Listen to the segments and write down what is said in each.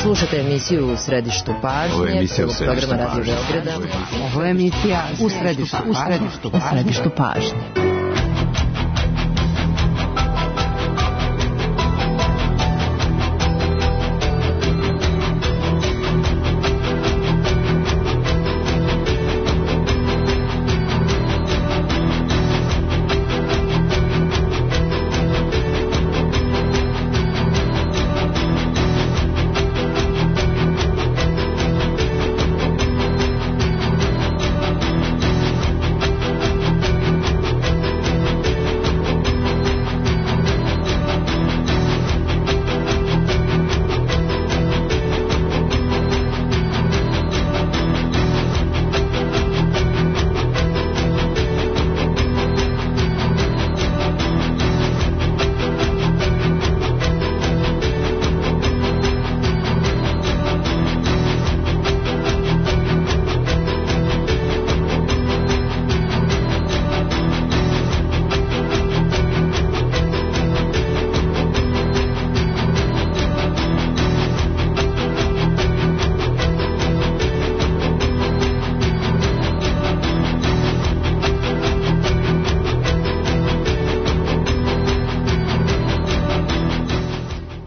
Slušate emisiju U središtu pažnje. Ovo je emisija U središtu programa Radio Beograda. Ovo je emisija U središtu pažnje.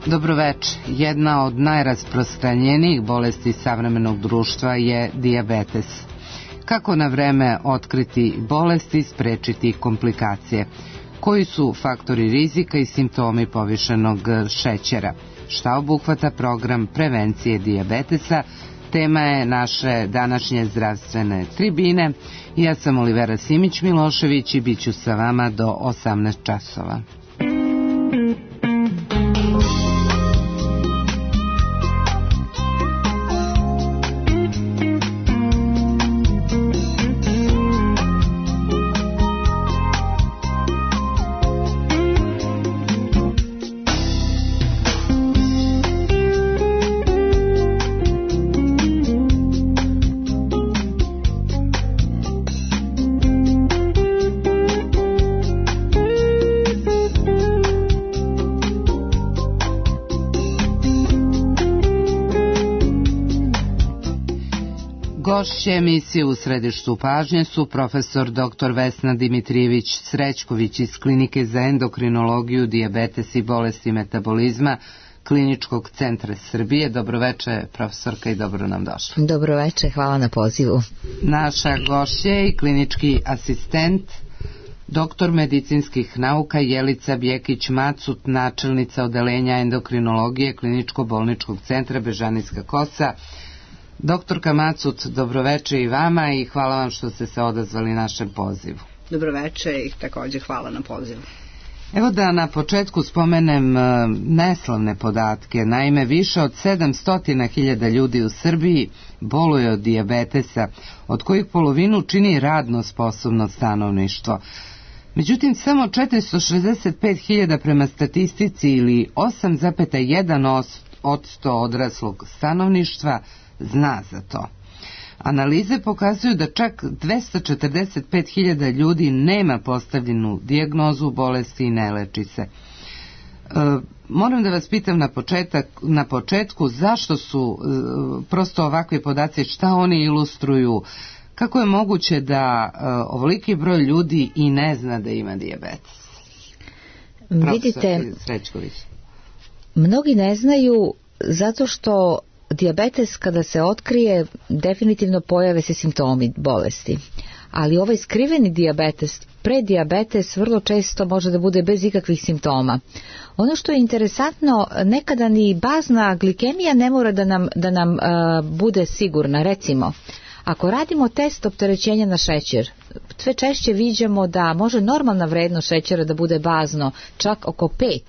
Dobroveče. Jedna od najrasprostranjenijih bolesti savremenog društva je dijabetes. Kako na vreme otkriti bolesti i sprečiti komplikacije? Koji su faktori rizika i simptomi povišenog šećera? Šta obuhvata program prevencije dijabetesa? Tema je naše današnje zdravstvene tribine. Ja sam Olivera Simić-Milošević i bit ću sa vama do 18 časova. Gošće emisije U središtu pažnje su profesor dr. Vesna Dimitrijević-Srećković iz Klinike za endokrinologiju, dijabetes i bolesti metabolizma Kliničkog centra Srbije. Dobroveče, profesorka, i dobro nam došla. Dobroveče, hvala na pozivu. Naša gošća je i klinički asistent, doktor medicinskih nauka Jelica Bjekić-Macut, načelnica odeljenja endokrinologije Kliničko-bolničkog centra Bežanijska Kosa. Doktorka Macut, dobroveče i vama i hvala vam što ste se odazvali našem pozivu. Dobroveče i također hvala na pozivu. Evo da na početku spomenem neslavne podatke. Naime, više od 700.000 ljudi u Srbiji boluje od dijabetesa, od kojih polovinu čini radno sposobno stanovništvo. Međutim, samo 465.000 prema statistici ili 8,1% odraslog stanovništva zna za to. Analize pokazuju da čak 245.000 ljudi nema postavljenu dijagnozu bolesti i ne leči se. Moram da vas pitam na početku zašto su prosto ovakvi podaci, šta oni ilustruju, kako je moguće da ovoliki broj ljudi i ne zna da ima dijabetes? Vidite, mnogi ne znaju zato što dijabetes kada se otkrije definitivno pojave se simptomi bolesti, ali ovaj skriveni dijabetes, predijabetes vrlo često može da bude bez ikakvih simptoma. Ono što je interesantno, nekada ni bazna glikemija ne mora da nam bude sigurna. Recimo, ako radimo test opterećenja na šećer, sve češće viđamo da može normalna vrednost šećera da bude bazno čak oko 5,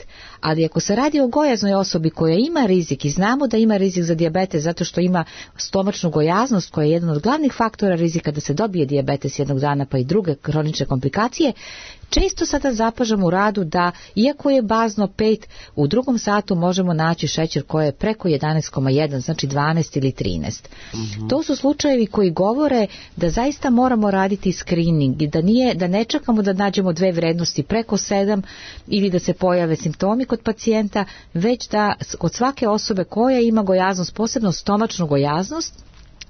ali ako se radi o gojaznoj osobi koja ima rizik i znamo da ima rizik za dijabetes zato što ima stomačnu gojaznost koja je jedan od glavnih faktora rizika da se dobije dijabetes jednog dana pa i druge kronične komplikacije, često sada zapažamo u radu da iako je bazno 5, u drugom satu možemo naći šećer koji je preko 11,1, znači 12 ili 13. To su slučajevi koji govore da zaista moramo raditi screening i da ne čekamo da nađemo 2 vrednosti preko 7 ili da se pojave simptomi kod pacijenta, već da kod svake osobe koja ima gojaznost, posebno stomačnu gojaznost,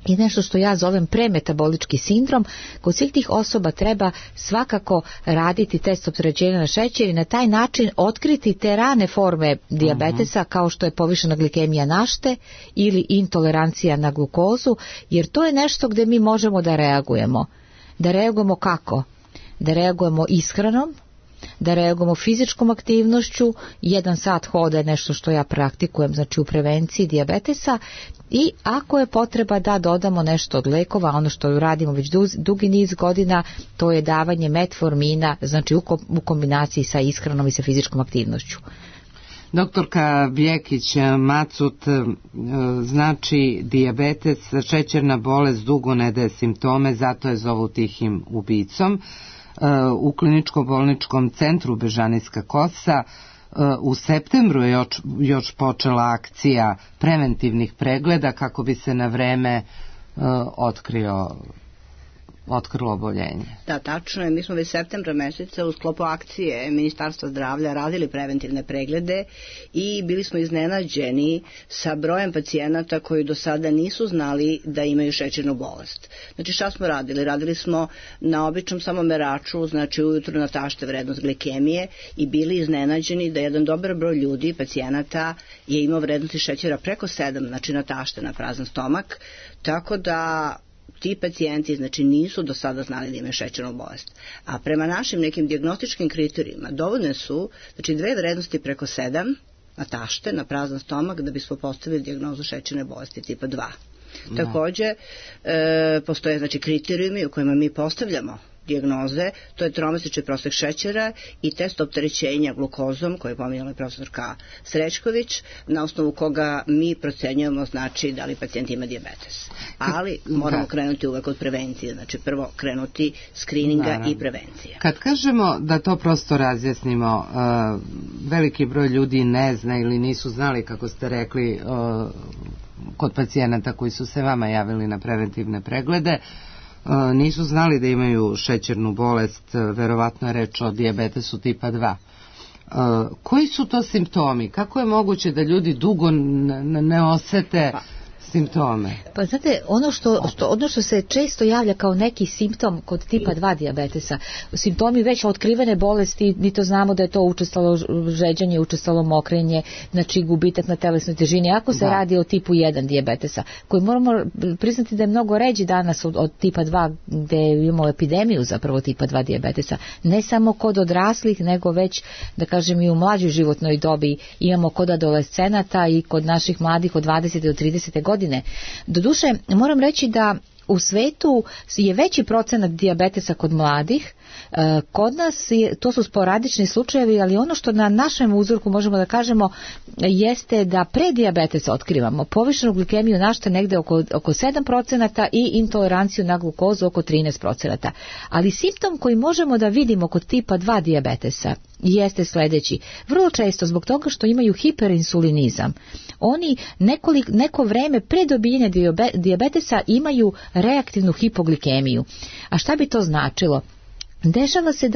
i nešto što ja zovem premetabolički sindrom, kod svih tih osoba treba svakako raditi test opterećenja na šećer i na taj način otkriti te rane forme dijabetesa kao što je povišena glikemija našte ili intolerancija na glukozu, jer to je nešto gdje mi možemo da reagujemo. Da reagujemo kako? Da reagujemo ishranom, da reagujemo fizičkom aktivnošću, 1 sat hoda je nešto što ja praktikujem, znači u prevenciji dijabetesa, i ako je potreba da dodamo nešto od lekova, ono što radimo već dugi niz godina, to je davanje metformina, znači u kombinaciji sa ishranom i sa fizičkom aktivnošću. Doktorka Bjekić Macut, znači dijabetes, šećerna bolest dugo ne daje simptome, zato je zovu tihim ubicom. U kliničko-bolničkom centru Bežanijska Kosa u septembru je još počela akcija preventivnih pregleda kako bi se na vreme otkrilo oboljenje. Da, tačno je. Mi smo već septembra meseca u sklopu akcije Ministarstva zdravlja radili preventivne preglede i bili smo iznenađeni sa brojem pacijenata koji do sada nisu znali da imaju šećernu bolest. Znači šta smo radili? Radili smo na običnom samomeraču, znači ujutru natašte vrednost glikemije i bili iznenađeni da jedan dobar broj ljudi, pacijenata, je imao vrednosti šećera preko 7, znači natašte na prazan stomak, tako da ti pacijenti znači nisu do sada znali da imaju šećernu bolest. A prema našim nekim dijagnostičkim kriterijima dovoljne su znači 2 vrednosti preko 7 na tašte, na prazan stomak da bismo postavili dijagnozu šećerne bolesti tipa 2. Da. Također postoje znači kriterijumi u kojima mi postavljamo dijagnoze, to je tromesečni prosek šećera i test opterećenja glukozom koji je pominjala profesorka Srećković, na osnovu koga mi procenjujemo znači da li pacijent ima dijabetes. Ali moramo krenuti uvek od prevencije, znači prvo krenuti skrininga i prevencije. Kad kažemo da to prosto razjasnimo, veliki broj ljudi ne zna ili nisu znali, kako ste rekli, kod pacijenata koji su se vama javili na preventivne preglede, nisu znali da imaju šećernu bolest, verovatno je reč o dijabetesu tipa 2. Koji su to simptomi? Kako je moguće da ljudi dugo ne osete simptome? Pa znate, ono što se često javlja kao neki simptom kod tipa 2 dijabetesa, simptomi već otkrivene bolesti, mi to znamo da je to učestalo žeđanje, učestalo mokrenje, znači gubitak na telesnoj težini, ako se radi o tipu 1 dijabetesa, koji moramo priznati da je mnogo ređi danas od tipa 2, gde imamo epidemiju zapravo tipa 2 dijabetesa, ne samo kod odraslih, nego već, da kažem, i u mlađoj životnoj dobi imamo kod adolescenata i kod naših mladih od 20 do 30 godine. Doduše, moram reći da u svetu je veći procenat dijabetesa kod mladih, kod nas to su sporadični slučajevi, ali ono što na našem uzorku možemo da kažemo jeste da pre dijabetesa otkrivamo povišenu glikemiju našte negde oko 7% i intoleranciju na glukozu oko 13%. Ali simptom koji možemo da vidimo kod tipa 2 dijabetesa jeste sljedeći. Vrlo često zbog toga što imaju hiperinsulinizam, oni neko vreme pre dobijanja dijabetesa imaju reaktivnu hipoglikemiju. A šta bi to značilo? Dešava se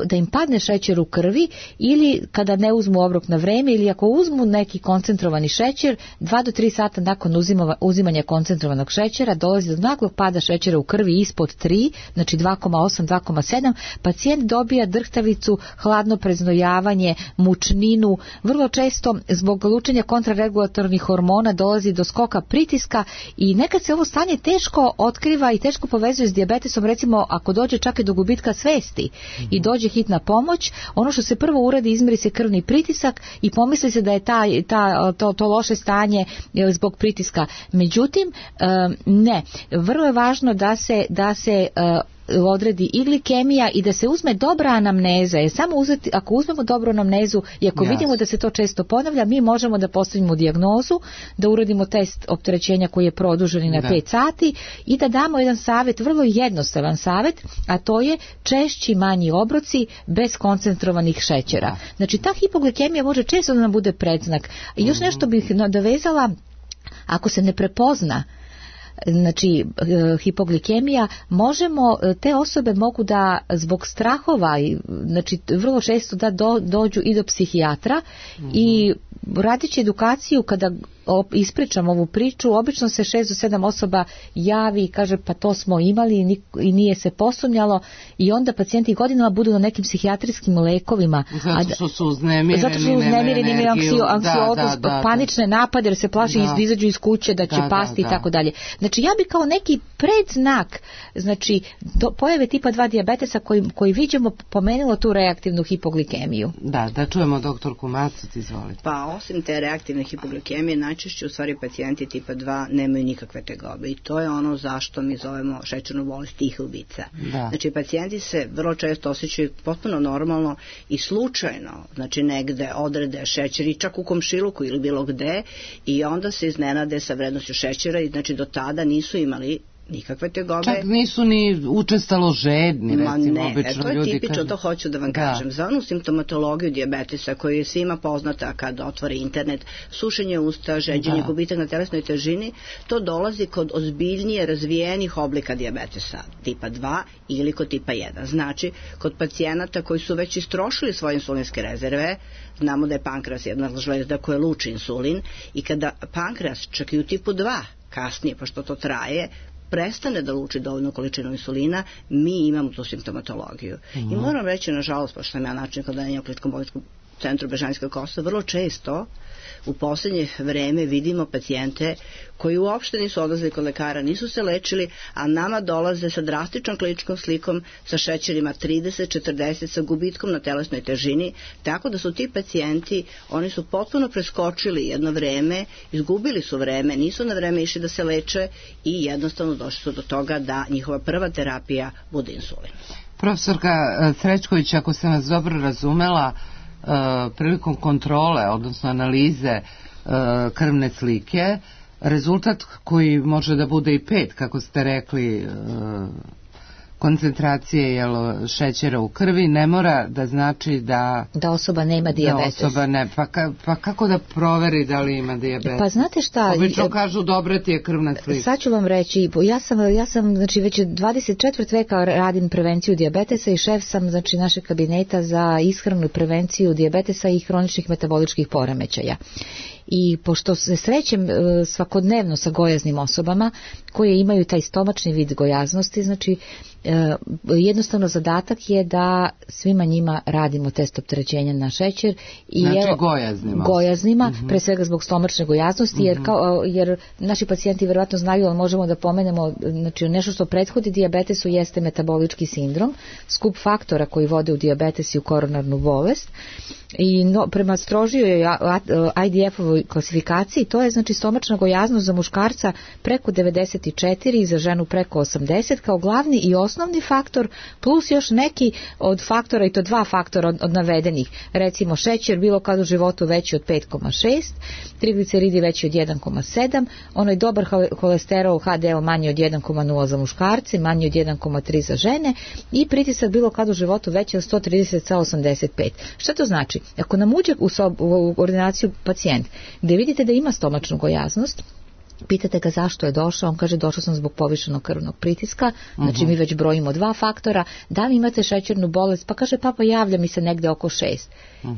da im padne šećer u krvi ili kada ne uzmu obrok na vreme ili ako uzmu neki koncentrovani šećer, 2 do 3 sata nakon uzimanja koncentrovanog šećera dolazi do naglog pada šećera u krvi ispod 3, znači 2,8, 2,7, pacijent dobija drhtavicu, hladno preznojavanje, mučninu, vrlo često zbog lučenja kontraregulatornih hormona dolazi do skoka pritiska i nekad se ovo stanje teško otkriva i teško povezuje s dijabetesom, recimo ako dođe čak i do gubitka svesti i dođe hitna pomoć, ono što se prvo uradi, izmeri se krvni pritisak i pomisli se da je to loše stanje zbog pritiska. Međutim, ne. Vrlo je važno da se odredi i glikemija i da se uzme dobra anamneza, jer samo ako uzmemo dobru anamnezu i ako vidimo da se to često ponavlja, mi možemo da postavimo dijagnozu, da uradimo test opterećenja koji je produženi na 5 sati i da damo jedan savjet, vrlo jednostavan savjet, a to je češći manji obroci bez koncentrovanih šećera. Znači ta hipoglikemija može često da nam bude predznak. I još nešto bih nadovezala, ako se ne prepozna znači hipoglikemija, možemo, te osobe mogu da zbog strahova, znači vrlo često da dođu i do psihijatra i radit će edukaciju. Kada ispričam ovu priču, obično se 6 do 7 osoba javi i kaže pa to smo imali i nije se posumnjalo, i onda pacijenti godinama budu na nekim psihijatrijskim lekovima. Zato što su uznemireni, imaju anksioznost, panične napade jer se plaši da izađu iz kuće, da će pasti i tako dalje. Znači ja bi kao neki predznak, znači pojave tipa 2 dijabetesa koji viđemo pomenulo tu reaktivnu hipoglikemiju. Da čujemo doktorku Macuc, izvolite. Pa osim te reaktivne hipoglikemije, najčešće u stvari pacijenti tipa 2 nemaju nikakve tegobe i to je ono zašto mi zovemo šećernu bolest tih ubica. Znači pacijenti se vrlo često osjećaju potpuno normalno i slučajno, znači negde odrede šećer i čak u komšiluku ili bilo gde, i onda se iznenade sa vrednošću šećera i znači do tada nisu imali nikakve tegobe. Čak nisu ni učestalo žedni, recimo, obično to je ljudi tipično, to hoću da vam kažem. Za onu simptomatologiju dijabetesa koju je svima poznata kad otvore internet, sušenje usta, žeđenje, gubitak na telesnoj težini, to dolazi kod ozbiljnije razvijenih oblika dijabetesa tipa 2 ili kod tipa 1. Znači, kod pacijenata koji su već istrošili svoje insulinske rezerve, znamo da je pankreas jedna žlezda koja luči insulin, i kada pankreas čak i u tipu 2 kasnije, pošto to traje, prestane da luči dovoljnu količinu insulina, mi imamo tu simptomatologiju. I moram reći, nažalost, pošto sam ja način odanjenja u Kliničkom bolničkom centru Bežanijska Kosta, vrlo često u poslednje vreme vidimo pacijente koji uopšte nisu odlazili kod lekara, nisu se lečili, a nama dolaze sa drastičnom kliničkom slikom, sa šećerima 30-40, sa gubitkom na telesnoj težini, tako da su ti pacijenti, oni su potpuno preskočili jedno vreme, izgubili su vreme, nisu na vreme išli da se leče i jednostavno došli su do toga da njihova prva terapija bude insulin. Profesorka Srećković, ako sam vas dobro razumela, prilikom kontrole, odnosno analize krvne slike, rezultat koji može da bude i 5, kako ste rekli, koncentracije šećera u krvi, ne mora da znači da osoba nema dijabetes. Pa kako da proveri da li ima dijabetes? Pa znate šta? Obično kažu dobra ti je krvna slika. Sad ću vam reći, ja sam znači već 24 veka radim prevenciju dijabetesa i šef sam znači našeg kabineta za ishranu i prevenciju dijabetesa i hroničnih metaboličkih poremećaja. I pošto se srećem svakodnevno sa gojaznim osobama koje imaju taj stomačni vid gojaznosti, znači jednostavno zadatak je da svima njima radimo test opterećenja na šećer i znači gojaznima, pre svega zbog stomačne gojaznosti, jer naši pacijenti verovatno znaju, ali možemo da pomenemo, znači nešto što prethodi dijabetesu jeste metabolički sindrom, skup faktora koji vode u dijabetes i u koronarnu bolest, i prema strožijoj IDF-ovoj klasifikaciji to je znači stomačna gojaznost za muškarca preko 94 i za ženu preko 80 kao glavni i osnovni faktor, plus još neki od faktora, i to 2 faktora od navedenih, recimo šećer bilo kad u životu veći od 5,6, trigliceridi veći od 1,7, onaj dobar holesterol HDL manji od 1,0 za muškarce, manji od 1,3 za žene, i pritisak bilo kad u životu veći od 130,85. Šta to znači? Ako nam uđe u ordinaciju pacijent gdje vidite da ima stomačnu gojaznost, pitate ga zašto je došao, on kaže došao sam zbog povišenog krvnog pritiska, znači mi već brojimo 2 faktora, da li imate šećernu bolest, pa kaže papa javlja mi se negde oko 6.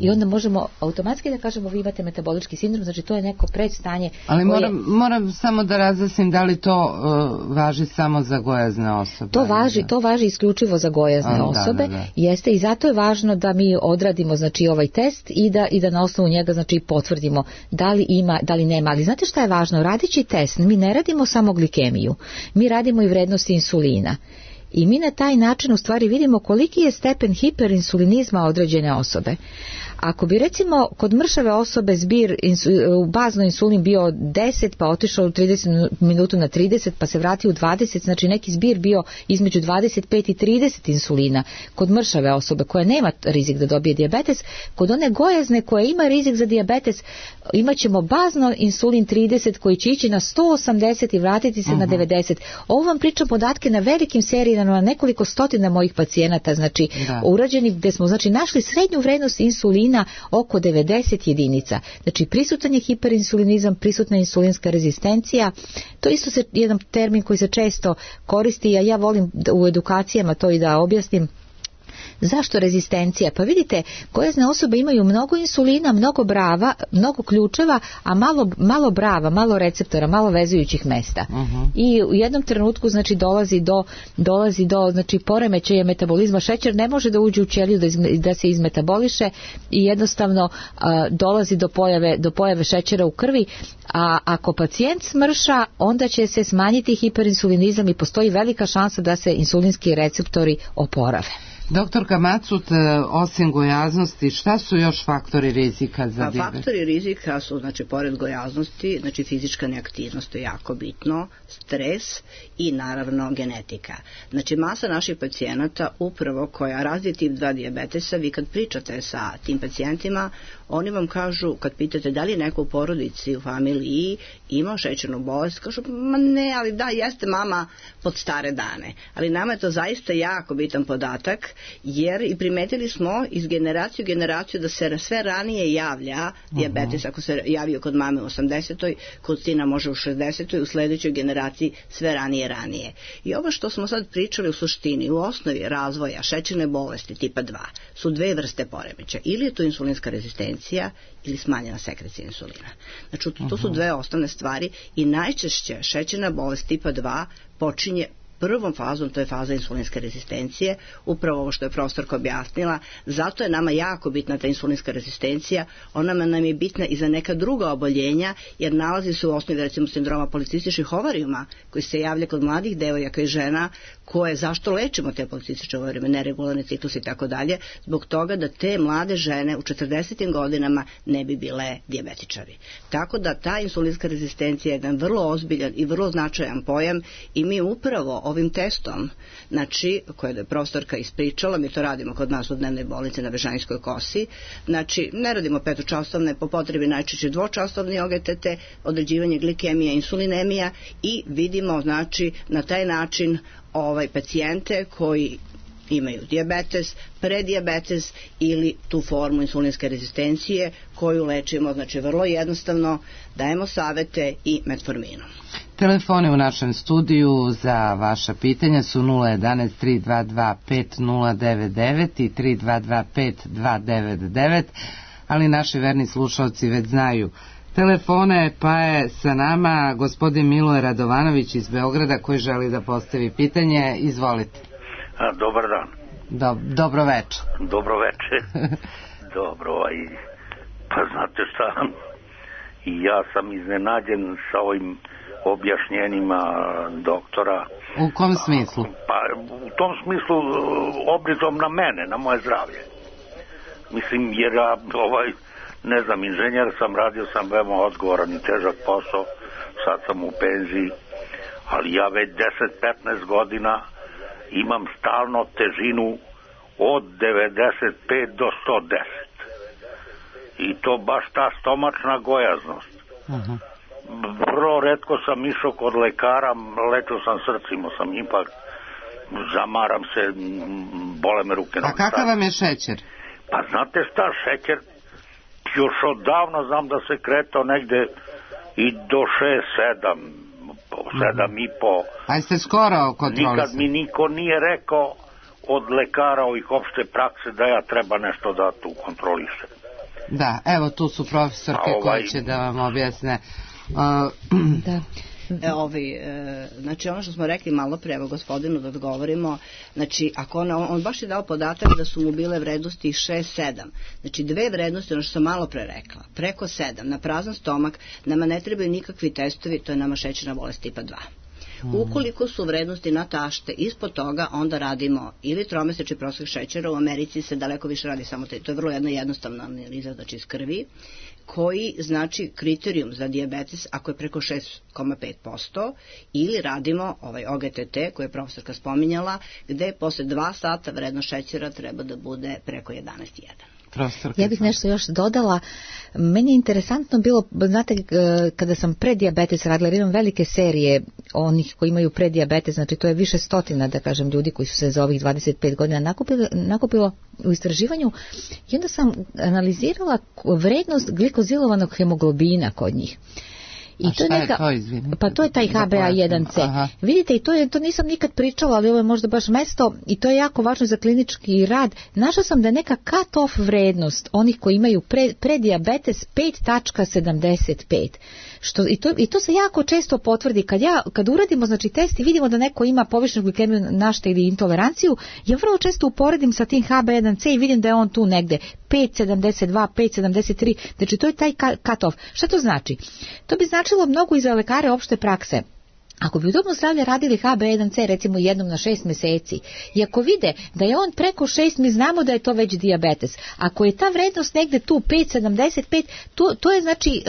I onda možemo automatski da kažemo vi imate metabolički sindrom, znači to je neko predstanje. Ali moram samo da razjasnim da li to važi samo za gojazne osobe. To važi isključivo za gojazne osobe, jeste, i zato je važno da mi odradimo znači ovaj test i da na osnovu njega znači potvrdimo da li ima, da li nema. Ali znate šta je važno? Radići test, mi ne radimo samo glikemiju, mi radimo i vrednosti insulina. I mi na taj način u stvari vidimo koliki je stepen hiperinsulinizma određene osobe. Ako bi recimo kod mršave osobe zbir bazno insulin bio 10 pa otišao u 30 minutu na 30 pa se vratio u 20, znači neki zbir bio između 25 i 30 insulina kod mršave osobe koja nema rizik da dobije dijabetes, kod one gojazne koja ima rizik za dijabetes imat ćemo bazno insulin 30 koji će ići na 180 i vratiti se na 90. Ovo vam pričam podatke na velikim serijama, na nekoliko stotina mojih pacijenata, znači urađeni gdje smo znači našli srednju vrednost insulina insulina oko 90 jedinica. Znači prisutan je hiperinsulinizam, prisutna je insulinska rezistencija. To isto se jedan termin koji se često koristi, a ja volim u edukacijama to i da objasnim. Zašto rezistencija? Pa vidite, gojazne osobe imaju mnogo insulina, mnogo brava, mnogo ključeva, a malo brava, malo receptora, malo vezujućih mesta. I u jednom trenutku znači dolazi do znači poremećaja metabolizma. Šećer ne može da uđe u ćeliju da se izmetaboliše i jednostavno dolazi do pojave šećera u krvi, a ako pacijent smrša, onda će se smanjiti hiperinsulinizam i postoji velika šansa da se insulinski receptori oporave. Doktorka Macut, osim gojaznosti, šta su još faktori rizika za dijabet? Faktori rizika su, znači, pored gojaznosti, znači fizička neaktivnost, to je jako bitno, stres i naravno genetika. Znači, masa naših pacijenata, upravo koja razvije tip 2 dijabetesa, vi kad pričate sa tim pacijentima, oni vam kažu, kad pitate da li je neko u porodici, u familiji imao šećernu bolest, kažu, ma ne, ali da, jeste mama pod stare dane. Ali nama je to zaista jako bitan podatak, jer i primetili smo iz generacije u generaciju da se sve ranije javlja dijabetes, ako se javio kod mame u 80. kod sina može u 60. u sledećoj generaciji sve ranije. I ovo što smo sad pričali u suštini, u osnovi razvoja šećerne bolesti tipa 2 su dve vrste poremeća. Ili je to insulinska rezistencija ili smanjena sekrecija insulina. Znači, to su dve osnovne stvari i najčešće šećerna bolest tipa 2 počinje prvom fazom, to je faza insulinske rezistencije, upravo ovo što je profesorka objasnila, zato je nama jako bitna ta insulinska rezistencija, ona nam je bitna i za neka druga oboljenja, jer nalazi se u osnovi recimo sindroma policističkih ovarijuma, koji se javlja kod mladih devojaka i žena, koje, zašto lečimo te policističke ovarijuma, neregularni ciklus i tako dalje, zbog toga da te mlade žene u 40. godinama ne bi bile dijabetičari. Tako da ta insulinska rezistencija je jedan vrlo ozbiljan i vrlo značajan pojam i mi upravo ovim testom, znači, koje je profesorka ispričala, mi to radimo kod nas u dnevnoj bolnici na Bežanijskoj kosi, znači, ne radimo petočasovne, po potrebi najčešće dvočasovni OGTT, određivanje glikemija, insulinemija i vidimo, znači, na taj način pacijente koji imaju dijabetes, predijabetes ili tu formu insulinske rezistencije koju lečimo, znači vrlo jednostavno, dajemo savete i metforminom. Telefone u našem studiju za vaša pitanja su 011 322 5099 i 322 5299, ali naši verni slušalci već znaju telefone, pa je sa nama gospodin Miloje Radovanović iz Beograda koji želi da postavi pitanje. Izvolite. Dobar dan. Dobro veče. Dobro veče. Dobro, pa znate šta, i ja sam iznenađen sa ovim objašnjenjima doktora. U kom smislu? Pa u tom smislu obrizom na mene, na moje zdravlje. Mislim, jer ja ne znam, inženjer sam, radio sam veoma odgovoran i težak posao, sad sam u penziji, ali ja već 10-15 godina imam stalno težinu od 95 do 110. I to baš ta stomačna gojaznost. Vrlo retko sam išao kod lekara, lečio sam srce, imao sam infarkt, zamaram se, bole me ruke. A kakav vam je šećer? Pa znate šta, šećer još odavno znam da se kretao negde i do 7,5. A jeste skoro kontrolisali? Nikad mi niko nije rekao od lekara ovih opšte prakse da ja treba nešto da tu kontrolišem. Da, evo tu su profesorke koje će da vam objasne. Da. Znači ono što smo rekli malo pre, evo gospodinu da odgovorimo, znači ako on baš je dao podatak da su mu bile vrednosti 6-7, znači dve vrednosti, ono što sam malo pre rekla, preko 7 na prazan stomak, nama ne trebaju nikakvi testovi, to je nama šećerna bolest tipa 2. Ukoliko su vrednosti na tašte ispod toga, onda radimo ili tromesečni prosek šećera, u Americi se daleko više radi samo to je vrlo jedna jednostavna analiza, znači iz krvi, koji znači kriterijum za dijabetes ako je preko 6,5%, ili radimo ovaj OGTT koji je profesorka spominjala, gde posle 2 sata vrednost šećera treba da bude preko 11,1. Ja bih nešto još dodala. Meni je interesantno bilo, znate, kada sam predijabetes radila, jer imam velike serije onih koji imaju predijabetes, znači to je više stotina, da kažem, ljudi koji su se za ovih 25 godina nakupilo u istraživanju, i onda sam analizirala vrednost glikozilovanog hemoglobina kod njih. I to je to, izvinite? Pa to je taj HbA1c. Aha. Vidite, i to nisam nikad pričala, ali ovo je možda baš mesto i to je jako važno za klinički rad. Našla sam da je neka cut-off vrednost onih koji imaju predijabetes 5.75. I to se jako često potvrdi. Kad uradimo, znači, test i vidimo da neko ima povišenu glikemiju našta ili intoleranciju, ja vrlo često uporedim sa tim HbA1c i vidim da je on tu negde 5.72, 5.73, znači to je taj cut-off. Šta to znači? To bi značilo mnogo i za lekare opšte prakse. Ako bi u domu zdravlja radili HbA1c recimo jednom na 6 meseci i ako vide da je on preko 6, mi znamo da je to već dijabetes. Ako je ta vrednost negde tu 5,75, to je znači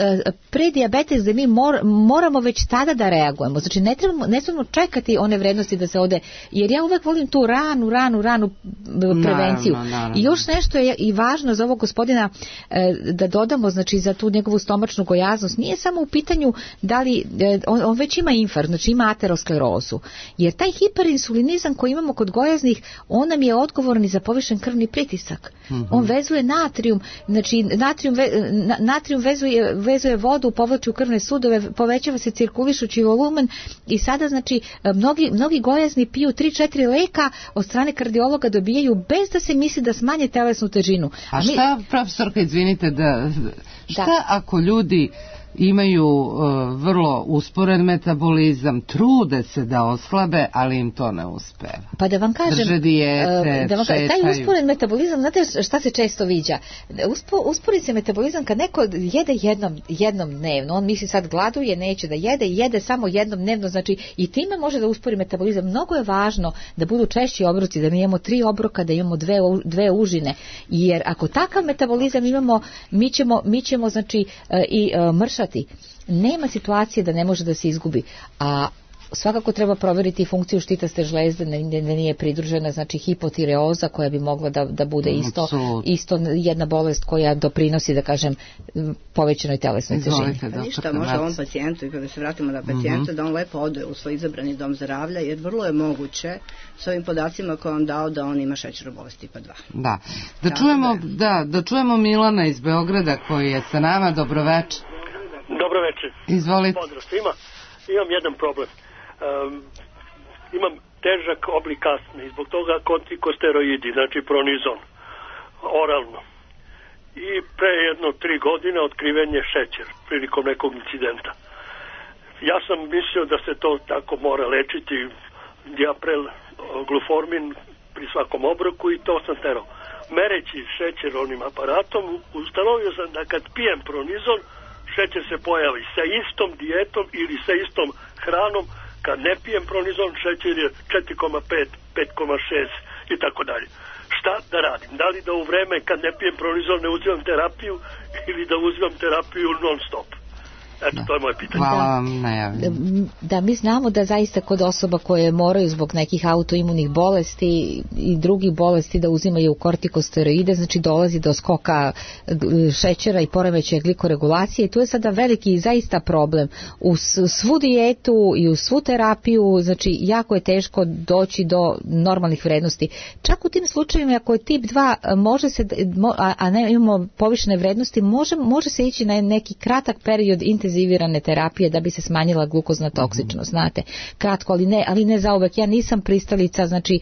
predijabetes gde mi moramo već tada da reagujemo. Znači ne trebamo čekati one vrednosti da se ode, jer ja uvek volim tu ranu prevenciju. Naravno. I još nešto je i važno za ovog gospodina da dodamo, znači za tu njegovu stomačnu gojaznost. Nije samo u pitanju da li on već ima infarkt, znači ima aterosklerozu. Jer taj hiperinsulinizam koji imamo kod gojaznih, on nam je odgovoran i za povišen krvni pritisak. Mm-hmm. On vezuje natrijum, znači natrijum vezuje vodu, povlači u krvne sudove, povećava se cirkulišući volumen i sada znači mnogi gojazni piju 3-4 leka od strane kardiologa dobijaju bez da se misli da smanje telesnu težinu. A šta, profesorka, izvinite, šta ako ljudi imaju vrlo usporen metabolizam, trude se da oslabe, ali im to ne uspeva. Pa da vam kažem, drže dijete, šetaju. Taj usporen metabolizam, znate šta se često viđa? Uspori se metabolizam kad neko jede jednom dnevno, on misli sad gladuje, neće da jede samo jednom dnevno, znači i time može da uspori metabolizam. Mnogo je važno da budu češći obroci, da mi imamo 3 obroka, da imamo dve užine, jer ako takav metabolizam imamo, mi ćemo znači i mršati. Nema situacije da ne može da se izgubi, a svakako treba proveriti funkciju štitaste žlezde, da nije pridružena, znači hipotireoza koja bi mogla da bude isto jedna bolest koja doprinosi, da kažem, povećanoj telesnoj težini. Ništa, može ovom pacijentu, i kada se vratimo na pacijenta, da on lepo ode u svoj izabrani dom zdravlja, jer vrlo je moguće s ovim podacima koje on dao da on ima šećernu bolest tipa 2. Da čujemo Milana iz Beograda koji je sa nama. Dobroveče. Dobroveče. Izvolite. Pozdrav svima. Imam jedan problem. Imam težak oblik astme i zbog toga kortikosteroidi, znači pronizon, oralno. I pre 3 godine otkriven je šećer prilikom nekog incidenta. Ja sam mislio da se to tako mora lečiti, diaprel, gluformin pri svakom obroku i to sam terao. Mereći šećer onim aparatom, ustanovio sam da kad pijem pronizon, šećer se pojavi sa istom dijetom ili sa istom hranom. Kad ne pijem pronizon, šećer je 4,5, 5,6 i tako dalje. Šta da radim? Da li da u vreme kad ne pijem pronizon ne uzimam terapiju ili da uzimam terapiju non stop? Eto, to je moje pitanje. Hvala vam na javljanju. Da, mi znamo da zaista kod osoba koje moraju zbog nekih autoimunih bolesti i drugih bolesti da uzimaju kortikosteroide, znači dolazi do skoka šećera i poremećaja glikoregulacije i tu je sada veliki zaista problem. U svu dijetu i u svu terapiju, znači jako je teško doći do normalnih vrednosti. Čak u tim slučajevima ako je tip 2 može se, a ne imamo povišene vrednosti, može se ići na neki kratak period intenzivirane terapije da bi se smanjila glukozna toksičnost, znate, kratko, ali ne zauvek. Ja nisam pristalica, znači,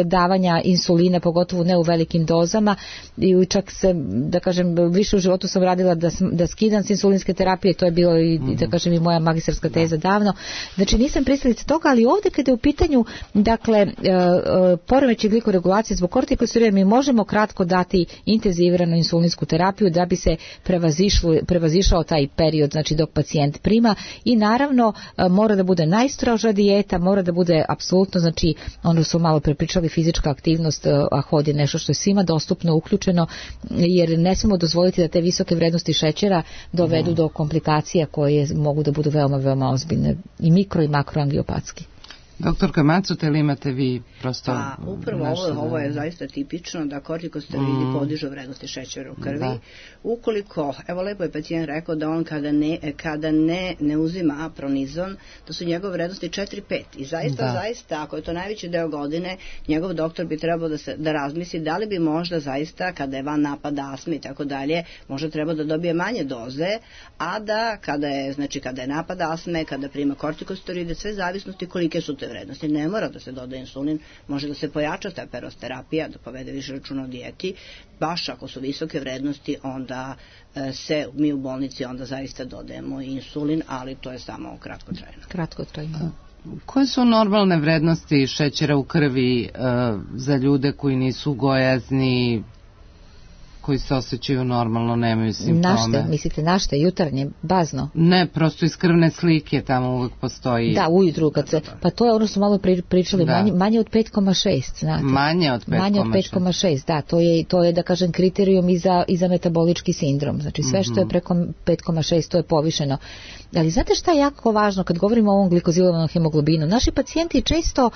davanja insulina, pogotovo ne u velikim dozama i čak se, da kažem, više u životu sam radila da skidam s insulinske terapije, to je bilo i, da kažem, i moja magistarska teza davno. Znači, nisam pristalica toga, ali ovdje kada je u pitanju, dakle, poremećaj glikoregulacije zbog kortikosteroida, mi možemo kratko dati intenziviranu insulinsku terapiju da bi se prevazišao taj period, znači dok pacijent prima i naravno mora da bude najstroža dijeta, mora da bude apsolutno, znači ono su malo prepričali fizička aktivnost, a hod je nešto što je svima dostupno, uključeno, jer ne smemo dozvoliti da te visoke vrednosti šećera dovedu do komplikacija koje mogu da budu veoma, veoma ozbiljne i mikro i makroangiopatski. Doktorka Macut, ili imate vi prosto... Pa, upravo ovo je zaista tipično da kortikosteroidi podižu vrednosti šećera u krvi. Da. Ukoliko, evo lepo je pacijent rekao da on kada ne uzima pronizon, da su njegove vrednosti 4-5. I zaista, ako je to najveći deo godine, njegov doktor bi trebao da razmisli da li bi možda zaista, kada je van napada astme i tako dalje, možda treba da dobije manje doze, a da kada je napad astme, kada prima kortikosteroide, sve zavisnosti kolike su te vrednosti. Ne mora da se doda insulin, može da se pojača ta perosterapija, da povede više računa o dijeti. Baš ako su visoke vrednosti, onda mi u bolnici onda zaista dodajemo insulin, ali to je samo kratkotrajno. Koje su normalne vrednosti šećera u krvi za ljude koji nisu gojazni, koji se osjećaju normalno, nemaju simptome? Mislite našte, jutarnje, bazno? Ne, prosto iz krvne slike tamo uvek postoji. Da, ujutru kad se, pa to je ono što malo pričali, manje od 5,6, znate. Manje od 5,6. Da, to je da kažem kriterijum i za metabolički sindrom. Znači sve što je preko 5,6 to je povišeno. Ali znate šta je jako važno kad govorimo o ovom glikozilovanom hemoglobinu? Naši pacijenti često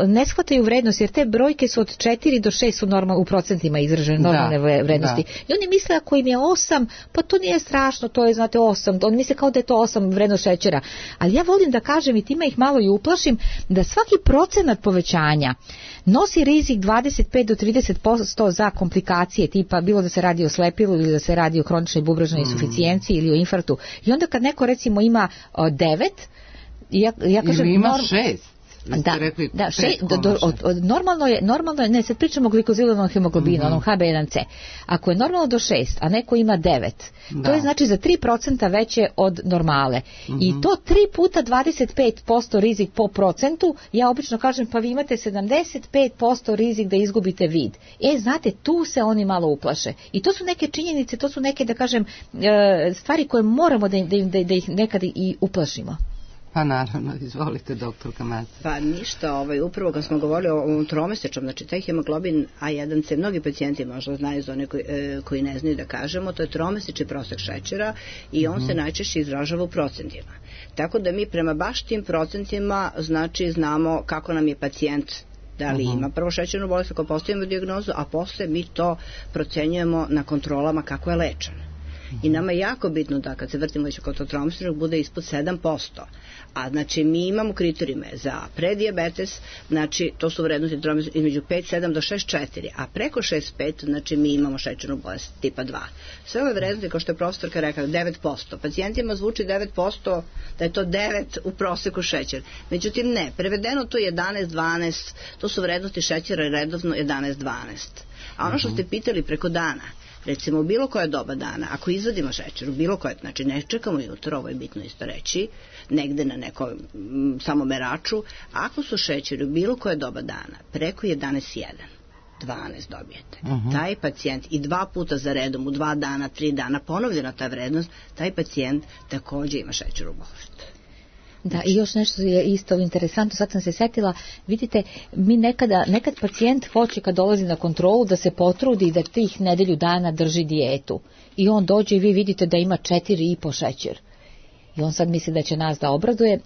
ne shvataju vrednost, jer te brojke su od 4 do 6 su u procentima izražene normalne vrednosti. I oni misle ako im je 8, pa to nije strašno, to je 8. Oni misle kao da je to 8 vrednost šećera. Ali ja volim da kažem i time ih malo i uplašim da svaki procenat povećanja nosi rizik 25 do 30% za komplikacije tipa bilo da se radi o slepilu ili da se radi o kroničnoj bubreznoj insuficijenciji ili o infarktu. I onda kad neko recimo ima 9, ja kažem... Ili ima 6. Normalno je, ne, sad pričamo o glikozilovanom hemoglobinu, onom HB1C. Ako je normalno do 6, a neko ima 9, to je znači za 3% veće od normale. I to 3 puta 25% rizik po procentu, ja obično kažem pa vi imate 75% rizik da izgubite vid. Znate, tu se oni malo uplaše. I to su neke činjenice, to su neke, da kažem, stvari koje moramo da ih nekad i uplašimo. Pa naravno, izvolite doktorka Maca. Pa ništa, upravo kad smo govorili o ovom tromesečnom, znači taj hemoglobin A1C, mnogi pacijenti možda znaju za one koji ne znaju da kažemo, to je tromesečni prosek šećera i on se najčešće izražava u procentima. Tako da mi prema baš tim procentima znači znamo kako nam je pacijent, da li ima prvo šećernu bolest ako postavimo dijagnozu, a posle mi to procenjujemo na kontrolama kako je lečen. I nama je jako bitno da kad se vrtimo već kod tromesečnog bude ispod 7%. A znači mi imamo kriterijume za predijabetes, znači to su vrednosti između 5,7 do 6,4, a preko 6,5 znači mi imamo šećernu bolest tipa 2. Sve ove vrednosti, kao što je profesorka rekla, 9%. Pacijentima zvuči 9%, da je to 9 u proseku šećer. Međutim ne, prevedeno to je 11-12, to su vrednosti šećera redovno 11-12. A ono što ste pitali preko dana, recimo u bilo koje doba dana, ako izvadimo šećer, u bilo koje, znači ne čekamo jutro, ovo je bitno isto reći, negde na nekom samomeraču, ako su šećeri u bilo koje doba dana, preko 11,1, 12 dobijete. Taj pacijent i 2 puta za redom, u 2 dana, 3 dana, ponovljena ta vrednost, taj pacijent također ima šećernu bolest. Da, i još nešto je isto interesantno, sad sam se setila, vidite, mi nekad pacijent hoće kad dolazi na kontrolu da se potrudi da tih nedelju dana drži dijetu. I on dođe i vi vidite da ima 4,5 šećer. I on sad misli da će nas da obraduje,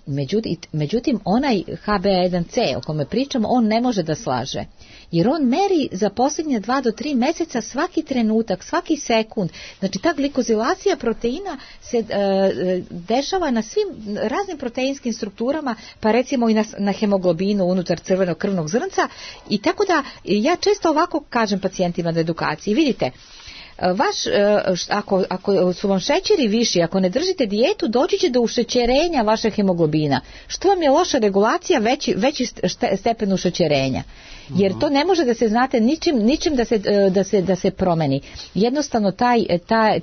međutim onaj HB1C o kome pričamo, on ne može da slaže. Jer on meri za posljednje 2 do 3 meseca svaki trenutak, svaki sekund. Znači ta glikozilacija proteina se dešava na svim raznim proteinskim strukturama, pa recimo i na hemoglobinu unutar crvenog krvnog zrnca. I tako da ja često ovako kažem pacijentima na edukaciji, vidite, ako su vam šećeri viši, ako ne držite dijetu, doći će do ušećerenja vašeg hemoglobina. Što vam je loša regulacija, veći stepen ušećerenja. Jer to ne može da se, znate, ničim da se promeni. Jednostavno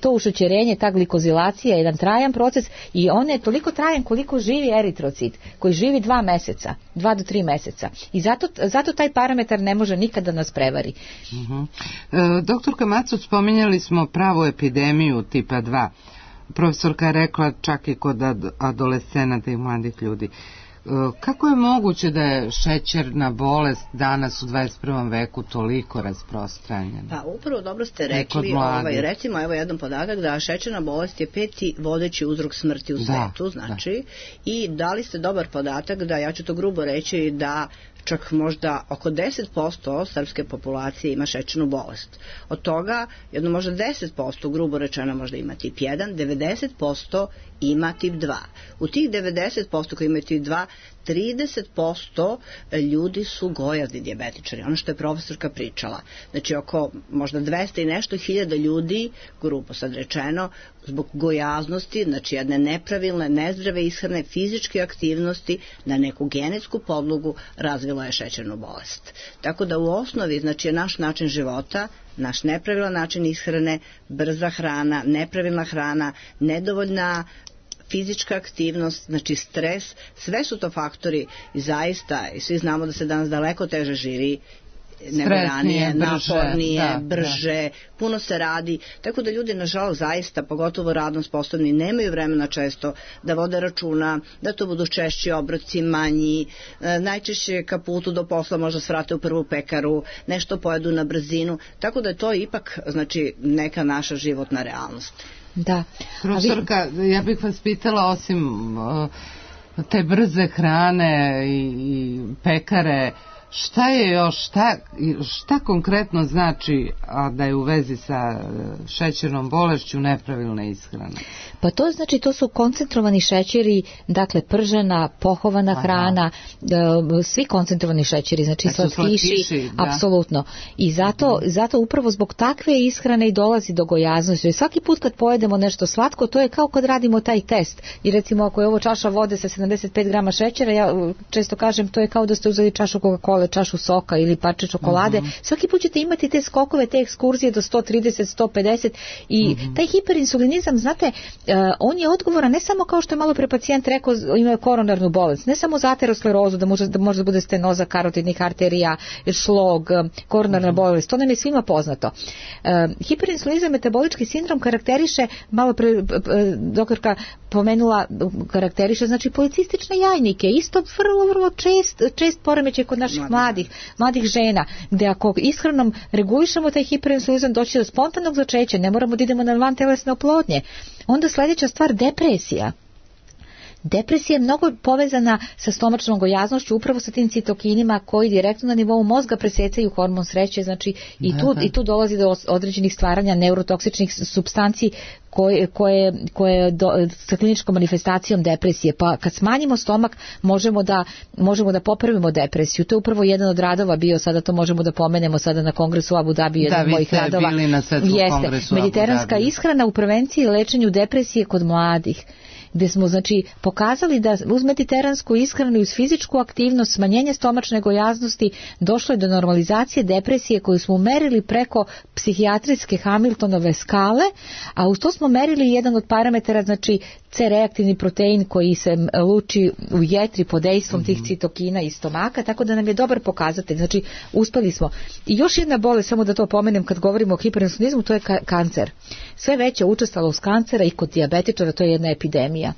to ušećerenje, ta glikozilacija je jedan trajan proces i on je toliko trajan koliko živi eritrocit, koji živi 2 meseca, 2 do 3 meseca. I zato taj parametar ne može nikada nas prevari. Doktorka Macut, spominjali smo pravu epidemiju tipa 2. Profesorka je rekla čak i kod adolescenata i mladih ljudi. Kako je moguće da je šećerna bolest danas u 21. veku toliko rasprostranjena? Pa upravo dobro ste rekli, recimo evo jedan podatak da šećerna bolest je 5. vodeći uzrok smrti u svetu, znači, i dali ste dobar podatak da, ja ću to grubo reći, da čak možda oko 10% srpske populacije ima šećernu bolest. Od toga, jedno možda 10%, grubo rečeno možda ima tip 1, 90% ima tip 2. U tih 90% koji imaju tip 2, 30% ljudi su gojazni dijabetičari, ono što je profesorka pričala. Znači oko možda 200 i nešto hiljada ljudi, grubo sad rečeno, zbog gojaznosti, znači jedne nepravilne, nezdrave ishrane, fizičke aktivnosti na neku genetsku podlogu razvilo je šećernu bolest. Tako da u osnovi, znači je naš način života, naš nepravilan način ishrane, brza hrana, nepravilna hrana, nedovoljna fizička aktivnost, znači stres, sve su to faktori i zaista, i svi znamo da se danas daleko teže živi nego ranije, napornije, brže, puno se radi, tako da ljudi nažalost zaista, pogotovo radno sposobni, nemaju vremena često da vode računa, da to budu češći obroci, manji, najčešće ka putu do posla možda svrate u prvu pekaru, nešto pojedu na brzinu, tako da je to ipak, znači, neka naša životna realnost. Da. Profesorka, ja bih vas pitala, osim te brze hrane i pekare, šta je još, šta konkretno znači da je u vezi sa šećernom bolešću nepravilna ishrana? Pa to znači, to su koncentrovani šećeri, dakle pržena, pohovana hrana, svi koncentrovani šećeri, znači slatkiši, apsolutno. I zato upravo zbog takve ishrane i dolazi do gojaznosti. Svaki put kad pojedemo nešto slatko, to je kao kad radimo taj test. I recimo ako je ovo čaša vode sa 75 grama šećera, ja često kažem, to je kao da ste uzeli čašu Coca-Cola, čašu soka ili parče čokolade. Svaki put ćete imati te skokove, te ekskurzije do 130, 150 i taj hiperinsulinizam, znate, on je odgovoran ne samo kao što je malo pre pacijent rekao, imaju koronarnu bolest, ne samo za aterosklerozu, da može bude stenoza karotidnih arterija, šlog, koronarna bolest, to nam je svima poznato. Hiperinsulinizam, metabolički sindrom karakteriše, malo pre doktorka pomenula, karakteriše, znači policistične jajnike, isto vrlo čest poremećaj kod naših mladih žena, gde ako ishranom regulišemo taj hiperinsulinizam, doći do spontanog začeća, ne moramo da idemo na vantelesne oplodnje. Onda sljedeća stvar, depresija. Depresija je mnogo povezana sa stomačnom gojaznošću, upravo sa tim citokinima koji direktno na nivou mozga presecaju hormon sreće, znači i tu dolazi do određenih stvaranja neurotoksičnih supstanci koje sa kliničkom manifestacijom depresije. Pa kad smanjimo stomak možemo da popravimo depresiju. To je upravo jedan od radova bio, sada to možemo da pomenemo sada na kongresu u Abu Dhabi, jedan od mojih radova. Jeste, mediteranska ishrana u prevenciji i lečenju depresije kod mladih, gde smo znači pokazali da uz mediteransku ishranu i uz fizičku aktivnost, smanjenje stomačne gojaznosti, došlo je do normalizacije depresije koju smo merili preko psihijatrijske Hamiltonove skale, a uz to smo merili jedan od parametara, znači C-reaktivni protein koji se luči u jetri pod dejstvom tih citokina iz stomaka, tako da nam je dobar pokazatelj, znači uspeli smo. I još jedna bolest, samo da to pomenem kad govorimo o hiperinsulinizmu, to je kancer. Sve veća učestalost kancera i kod dijabetičara, to je jedna epidemija.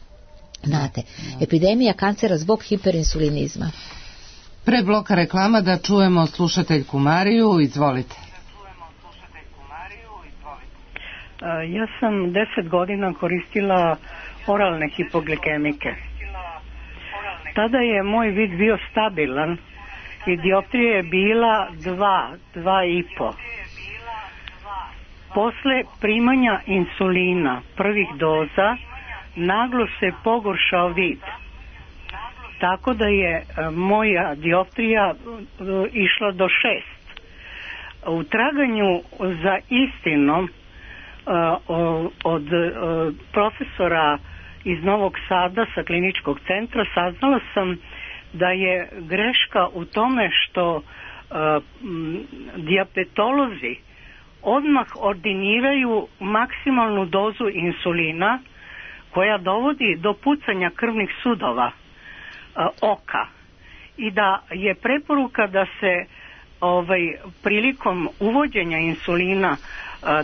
Znate, epidemija kancera zbog hiperinsulinizma. Pre bloka reklama da čujemo slušateljku Mariju, izvolite. Ja sam 10 godina koristila oralne hipoglikemike. Tada je moj vid bio stabilan i dioptrija je bila 2,5. Posle primanja insulina prvih doza naglo se pogoršao vid. Tako da je moja dioptrija išla do 6. U traganju za istinom od profesora iz Novog Sada sa kliničkog centra saznala sam da je greška u tome što dijabetolozi odmah ordiniraju maksimalnu dozu insulina koja dovodi do pucanja krvnih sudova oka i da je preporuka da se prilikom uvođenja insulina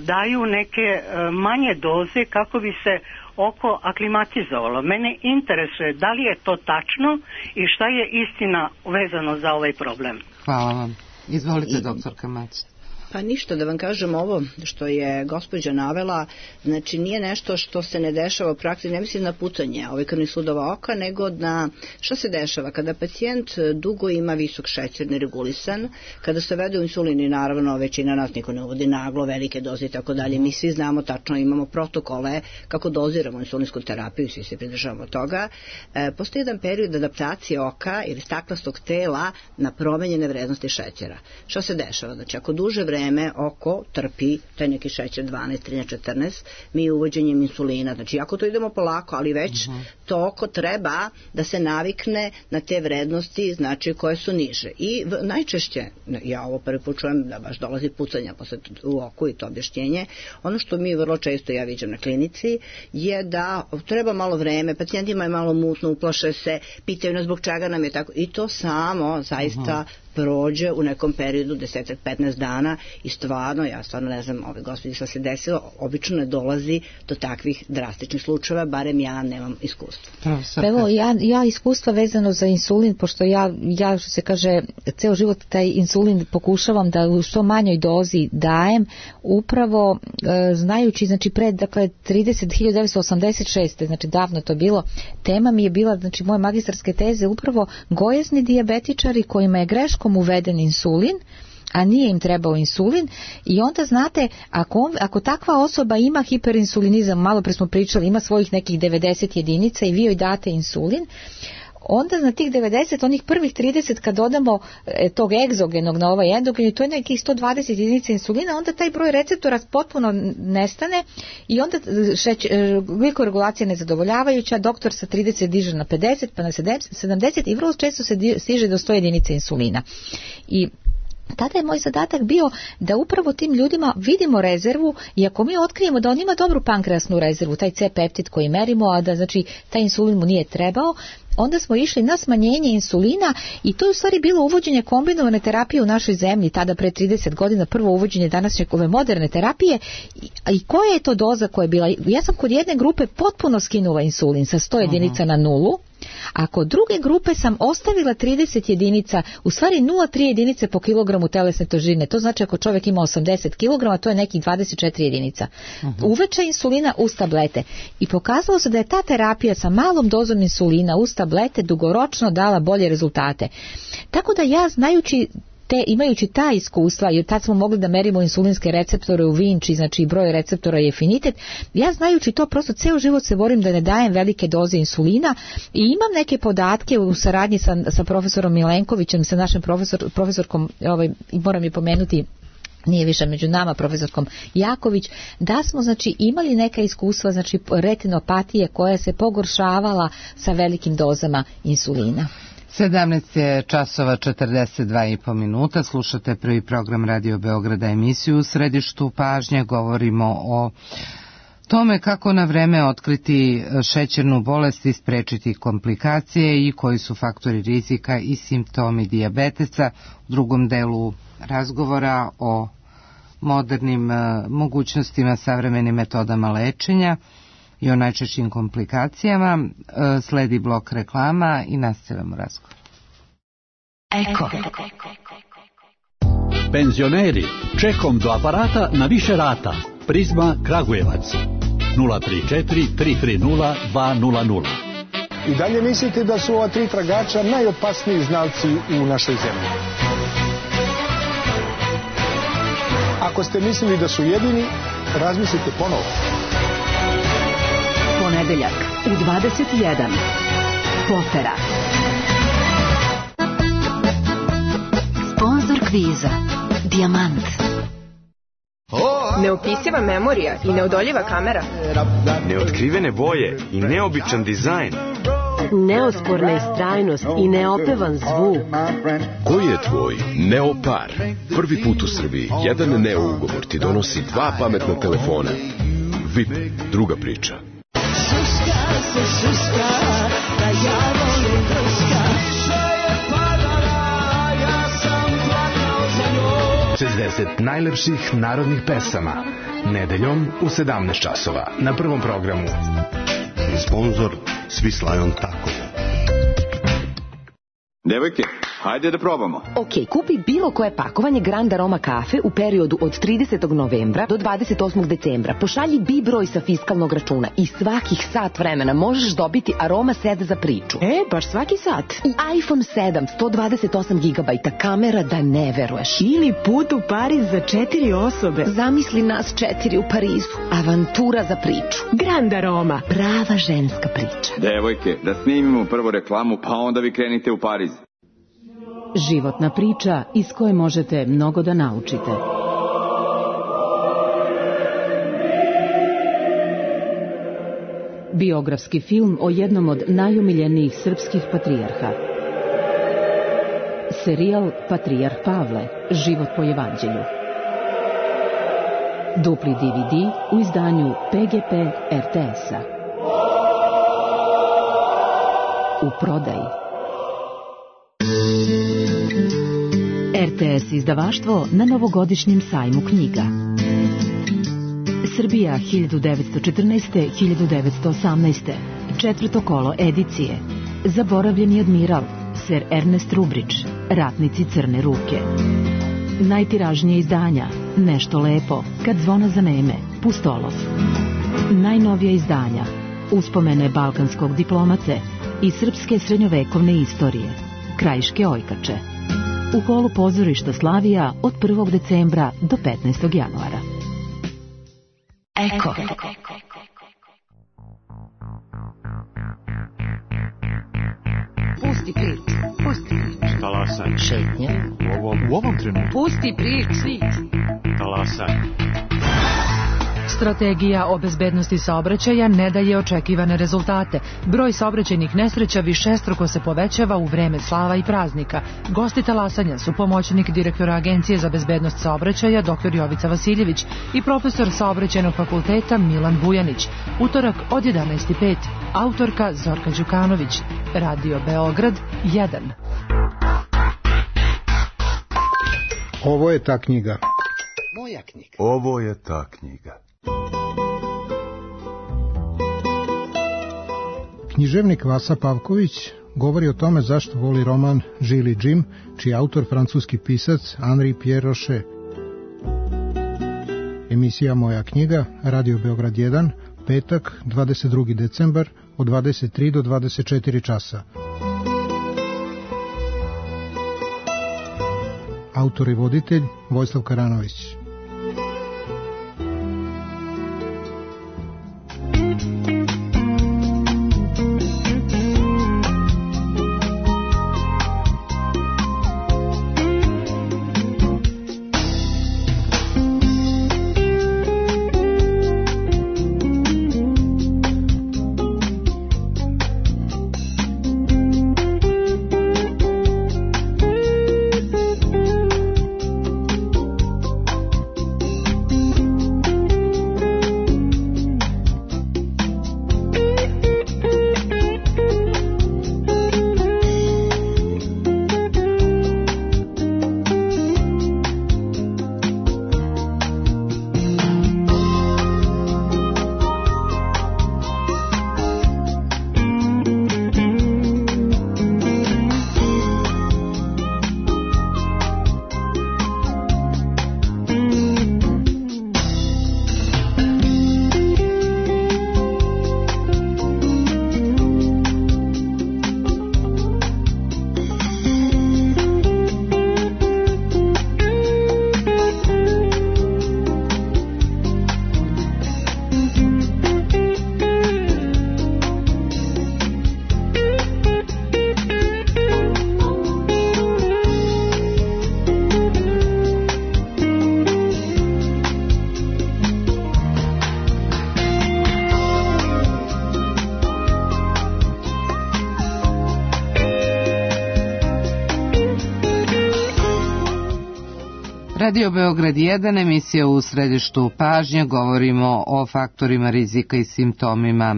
daju neke manje doze kako bi se oko aklimatizovalo. Mene interesuje da li je to tačno i šta je istina vezano za ovaj problem. Hvala vam. Izvolite, doktorka Macić. Pa ništa, da vam kažem, ovo što je gospođa navela, znači nije nešto što se ne dešava u praksi, ne mislim na pucanje krvnih sudova oka, nego na što se dešava kada pacijent dugo ima visok šećer neregulisan, kada se vede u insulini, naravno većina nas niko ne uvodi naglo, velike doze i tako dalje, mi svi znamo tačno, imamo protokole kako doziramo insulinsku terapiju, svi se pridržavamo toga. Postoji jedan period adaptacije oka ili staklastog tela na promenjene vrednosti šećera. Što se dešava? Znači ako duže vreme oko trpi taj neki šećer 12, 13, 14, mi uvođenjem insulina, znači ako to idemo polako, ali već to oko treba da se navikne na te vrednosti, znači koje su niže. I najčešće, ja ovo prvi put čujem da baš dolazi pucanja posle u oku i to objašnjenje, ono što mi vrlo često ja viđam na klinici je da treba malo vreme, pacijentima je malo mutno, uplaše se, pitaju nas zbog čega nam je tako i to samo zaista prođe u nekom periodu 10-15 dana i stvarno, ja stvarno ne znam ove gospođe što se desilo, obično ne dolazi do takvih drastičnih slučajeva, barem ja nemam iskustva. Evo, ja iskustva vezano za insulin, pošto ja što se kaže, ceo život taj insulin pokušavam da u što manjoj dozi dajem, upravo znajući, znači pred, dakle, 1986. znači davno to bilo, tema mi je bila, znači moje magistarske teze, upravo gojezni dijabetičari kojima je greškom uveden insulin, a nije im trebao insulin i onda znate, ako takva osoba ima hiperinsulinizam, malo pre smo pričali, ima svojih nekih 90 jedinica i vi joj date insulin, onda na tih 90, onih prvih 30 kad dodamo tog egzogenog na ovaj endogen, to je nekih 120 jedinica insulina, onda taj broj receptora potpuno nestane i onda glikoregulacija nezadovoljavajuća, doktor sa 30 diže na 50 pa na 70 i vrlo često se stiže do 100 jedinica insulina. I tada je moj zadatak bio da upravo tim ljudima vidimo rezervu i ako mi otkrijemo da on ima dobru pankreasnu rezervu, taj C-peptid koji merimo, a da znači taj insulin mu nije trebao, onda smo išli na smanjenje insulina i to je u stvari bilo uvođenje kombinovane terapije u našoj zemlji, tada pre 30 godina, prvo uvođenje današnje ove moderne terapije i koja je to doza koja je bila, ja sam kod jedne grupe potpuno skinula insulin sa 100 jedinica na 0, a kod druge grupe sam ostavila 30 jedinica, u stvari 0,3 jedinice po kilogramu telesne težine, to znači ako čovjek ima 80 kg, to je nekih 24 jedinica. Uveče insulina uz tablete i pokazalo se da je ta terapija sa malom dozom insulina uz tablete dugoročno dala bolje rezultate. Tako da ja imajući ta iskustva, jer tad smo mogli da merimo insulinske receptore u Vinči, znači broj receptora i afinitet, ja znajući to prosto ceo život se borim da ne dajem velike doze insulina i imam neke podatke u saradnji sa profesorom Milenkovićem, sa našim profesorkom, moram je pomenuti, nije više među nama, profesorkom Jaković, da smo znači imali neka iskustva, znači retinopatije koja se pogoršavala sa velikim dozama insulina. 17 je časova 42,5 minuta, slušate prvi program Radio Beograda, emisiju U središtu pažnje, govorimo o tome kako na vreme otkriti šećernu bolest i sprečiti komplikacije i koji su faktori rizika i simptomi dijabetesa. U drugom delu razgovora o modernim mogućnostima, savremenim metodama lečenja i o najčešćim komplikacijama. Sledi blok reklama i nastavljamo razgovor. Eko. Penzioneri, čekom do aparata na više rata. Prizma Kragujevac 034 330 200. I dalje mislite da su ova tri tragača najopasniji znalci u našoj zemlji? Ako ste mislili da su jedini, razmislite ponovo. Ponedeljak u 21. Potera. Sponzor kviza Dijamant. Neopisiva memorija i neodoljiva kamera. Neotkrivene boje i neobičan dizajn. Neosporna istrajnost i neopevan zvuk. Koji je tvoj Neopar? Prvi put u Srbiji jedan Neo ugovor ti donosi 2 pametna telefona. VIP, druga priča. Da ja volim drska. Sve je padala, ja sam plakao za 60 najlepših narodnih pesama. Nedeljom u 17 časova na Prvom programu. Sponzor Swiss Lion Taco. Devojke, hajde da probamo. Ok, kupi bilo koje pakovanje Grand Aroma kafe u periodu od 30. novembra do 28. decembra. Pošalji BI broj sa fiskalnog računa i svakih sat vremena možeš dobiti Aroma set za priču. Baš svaki sat. I iPhone 7, 128 GB, kamera da ne veruješ. Ili put u Pariz za 4 osobe. Zamisli nas 4 u Parizu. Avantura za priču. Grand Aroma. Prava ženska priča. Devojke, da snimimo prvo reklamu, pa onda vi krenite u Pariz. Životna priča iz koje možete mnogo da naučite. Biografski film o jednom od najomiljenijih srpskih patrijarha. Serijal Patrijarh Pavle, život po evanđelju. Dupli DVD u izdanju PGP RTS-a. U prodaji. RTS izdavaštvo na novogodišnjem sajmu knjiga. Srbija 1914-1918. Četvrto kolo edicije. Zaboravljeni admiral, Ser Ernest Rubrić, Ratnici crne ruke. Najtiražnije izdanja, Nešto lepo, Kad zvona zaneme, Pustolov. Najnovija izdanja, Uspomene balkanskog diplomate i srpske srednjovekovne istorije, Krajiške ojkače. U holu pozorišta Slavija od 1. decembra do 15. januara. Eko. Pusti priču. Talasaj. Šetnje. U ovom trenutku. Pusti priču. Talasaj. Strategija o bezbednosti saobraćaja ne daje očekivane rezultate. Broj saobraćajnih nesreća višestruko se povećava u vreme slava i praznika. Gosti talasanja su pomoćnik direktora Agencije za bezbednost saobraćaja dr. Jovica Vasiljević i profesor saobraćajnog fakulteta Milan Bujanić. Utorak od 11:05. Autorka Zorka Đukanović. Radio Beograd 1. Ovo je ta knjiga. Moja knjiga. Ovo je ta knjiga. Književnik Vasa Pavković govori o tome zašto voli roman Žili Jim, čiji je autor francuski pisac Henri Pierre Rocher. Emisija Moja knjiga, Radio Beograd 1, petak, 22. decembar, od 23 do 24 časa. Autor i voditelj Vojislav Karanović. Radio Beograd 1, emisija u središtu pažnje, govorimo o faktorima rizika i simptomima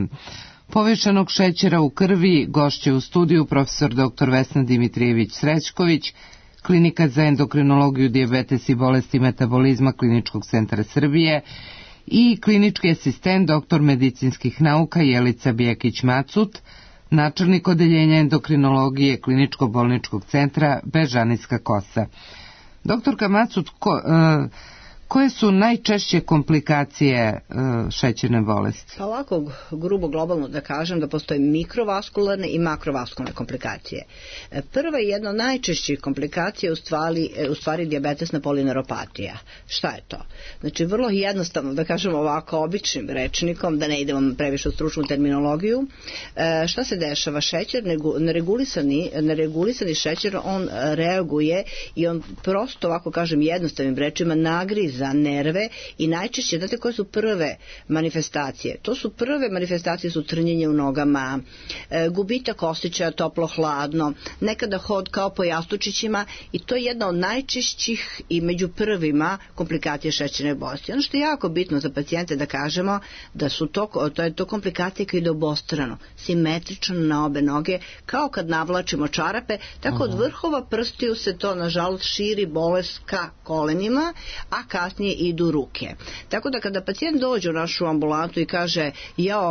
povišenog šećera u krvi. Gošće u studiju profesor dr. Vesna Dimitrijević Srećković, Klinika za endokrinologiju, dijabetes i bolesti metabolizma Kliničkog centra Srbije i klinički asistent, doktor medicinskih nauka Jelica Bijekić-Macut, načelnik odeljenja endokrinologije Kliničko-bolničkog centra Bežanijska Kosa. Doktorka Macut, koje su najčešće komplikacije šećerne bolesti? Pa ovako, grubo globalno da kažem da postoje mikrovaskularne i makrovaskularne komplikacije. Prva i jedna od najčešćih komplikacija je u stvari dijabetesna polineuropatija. Šta je to? Znači, vrlo jednostavno, da kažem ovako običnim rečnikom, da ne idemo previše u stručnu terminologiju, šta se dešava? Šećer, neregulisani šećer, on reaguje i on prosto, ovako kažem jednostavnim rečima, nagriza nerve i najčešće, znate koje su prve manifestacije? Prve manifestacije su trnjenje u nogama, gubitak osjećaja toplo-hladno, nekada hod kao po jastučićima i to je jedna od najčešćih i među prvima komplikacije šećerne bolesti. Ono što je jako bitno za pacijente da kažemo da su to je to komplikacije koje ide obostrano, simetrično na obe noge, kao kad navlačimo čarape, tako od vrhova prstiju se to nažalost širi bolest ka kolenima, a kasnije idu ruke. Tako da kada pacijent dođe u našu ambulantu i kaže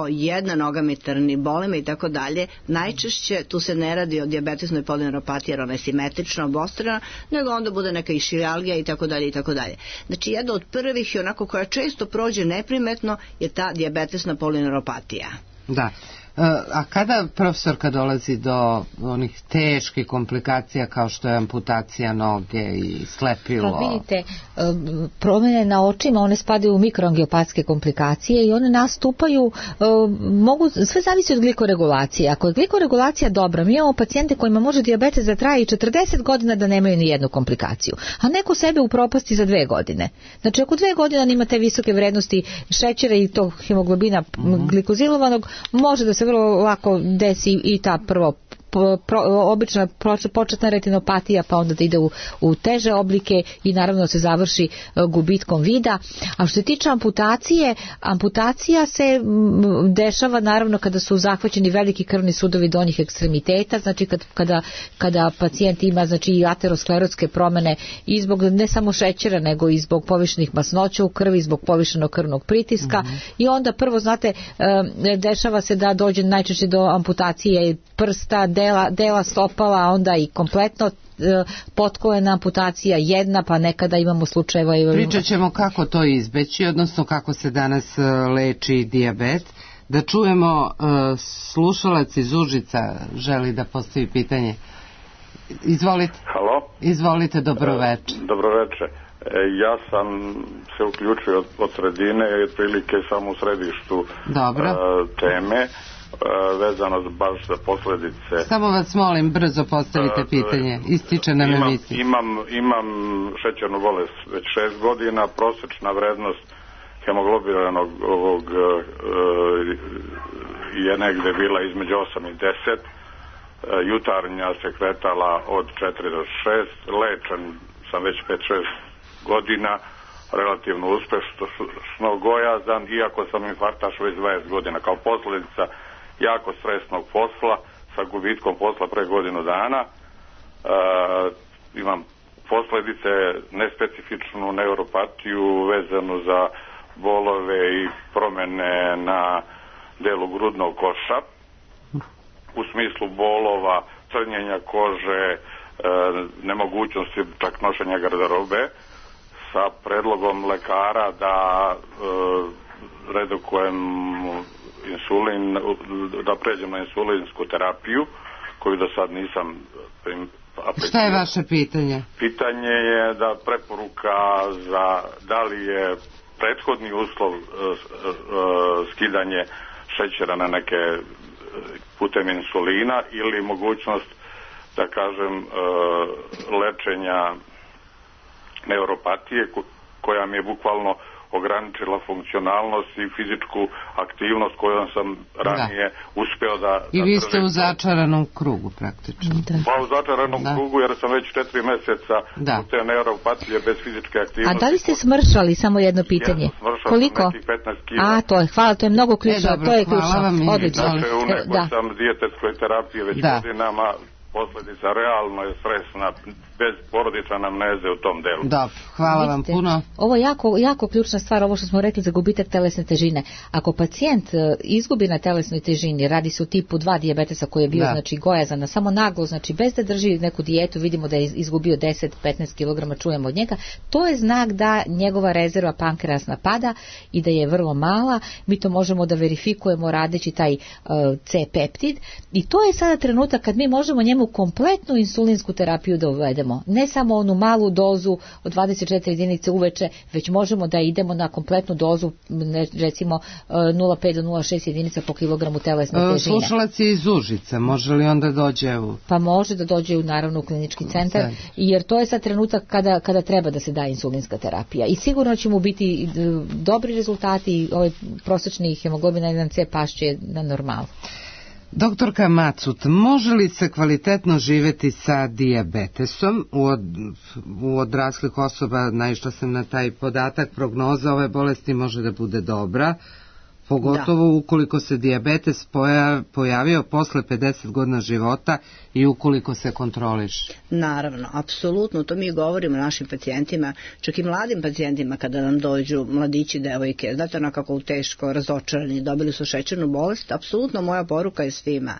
jedna noga mi trni, boli me i tako dalje, najčešće tu se ne radi o dijabetesnoj polineuropatiji jer ona je simetrično obostrana, nego onda bude neka išijalgija i tako dalje i tako dalje. Znači jedna od prvih i onako koja često prođe neprimetno je ta dijabetesna polineuropatija. Da. A kada, profesorka, dolazi do onih teških komplikacija kao što je amputacija noge i slepilo? Pa vidite, promjene na očima, one spadaju u mikroangiopatske komplikacije i one nastupaju, sve zavisi od glikoregulacije. Ako je glikoregulacija dobra, mi imamo pacijente kojima može dijabetes da traje i 40 godina da nemaju ni jednu komplikaciju, a neko sebe upropasti za 2 godine. Znači, ako 2 godine ima te visoke vrednosti šećera i tog hemoglobina glikozilovanog, može da se vrlo lako desi i ta obična početna retinopatija, pa onda da ide u teže oblike i naravno se završi gubitkom vida. A što se tiče amputacija se dešava naravno kada su zahvaćeni veliki krvni sudovi donjih ekstremiteta, znači kada pacijent ima znači i aterosklerotske promjene i zbog ne samo šećera nego i zbog povišenih masnoća u krvi, zbog povišenog krvnog pritiska i onda prvo znate dešava se da dođe najčešće do amputacije prsta, dela stopala, a onda i kompletno potkolena amputacija jedna, pa nekada imamo slučajeva. Pričat ćemo kako to izbeći, odnosno kako se danas leči dijabet. Da čujemo, slušalac iz Užica želi da postavi pitanje. Izvolite. Halo? Izvolite, dobroveče. Dobroveče. Ja sam se uključio od sredine i otprilike sam u središtu teme vezano baš za posljedice. Samo vas molim, brzo postavite pitanje. Ističe nam emisija. Imam šećernu bolest već 6 godina, prosječna vrednost hemoglobinanog je negde bila između 8 i 10. Jutarnja se kretala od 4 do 6. Lečen sam već 5-6 godina, relativno uspešno gojazan, iako sam infarktaš već 20 godina. Kao posljedica jako stresnog posla, sa gubitkom posla pre godinu dana. Imam posljedice nespecifičnu neuropatiju vezanu za bolove i promjene na delu grudnog koša, u smislu bolova, crnjenja kože, nemogućnosti čak nošenja garderobe, sa predlogom lekara da redukujem insulin, da pređem na insulinsku terapiju, koju do sad nisam aplicirao. Šta je vaše pitanje? Pitanje je da preporuka za da li je prethodni uslov skidanje šećera na neke putem insulina ili mogućnost, da kažem, lečenja neuropatije koja mi je bukvalno ograničila funkcionalnost i fizičku aktivnost kojom sam ranije uspeo da... I vi ste u začaranom krugu praktično. Pa u začaranom krugu jer sam već 4 mjeseca u te neuropatije bez fizičke aktivnosti. A da li ste smršali, samo jedno pitanje? Koliko? Nekih 15 kila. A, to je, hvala, to je mnogo ključno. To je ključno. Odlično. Znači, u nekoj sam dijetetskoj terapiji već godinama, posljedica realno je stresna bez porodične anamneze u tom delu. Dobro, hvala vam puno. Ovo je jako ključna stvar, ovo što smo rekli za gubitak telesne težine. Ako pacijent izgubi na telesnoj težini, radi se o tipu 2 dijabetesa koji je bio znači gojazan, samo naglo, znači bez da drži neku dijetu, vidimo da je izgubio 10-15 kg, čujemo od njega, to je znak da njegova rezerva pankreasna pada i da je vrlo mala. Mi to možemo da verifikujemo radeći taj C-peptid i to je sada trenutak kad mi možemo njemu kompletnu insulinsku terapiju da uvedemo. Ne samo onu malu dozu od 24 jedinice uveče, već možemo da idemo na kompletnu dozu, recimo 0,5 do 0,6 jedinica po kilogramu telesne težine. Slušalac je iz Užica, može li onda dođe u... Pa može da dođe naravno u klinički centar, jer to je sad trenutak kada treba da se da insulinska terapija. I sigurno će mu biti dobri rezultati i ovaj prosječni hemoglobin 1C pašće na normalu. Doktorka Macut, može li se kvalitetno živeti sa dijabetesom? U odraslih osoba, naišla sam na taj podatak, prognoza ove bolesti može da bude dobra, pogotovo ukoliko se dijabetes pojavio posle 50 godina života i ukoliko se kontroliše. Naravno, apsolutno, to mi govorimo našim pacijentima, čak i mladim pacijentima kada nam dođu mladići, devojke, znate onako teško razočarani, dobili su šećernu bolest, apsolutno moja poruka je svima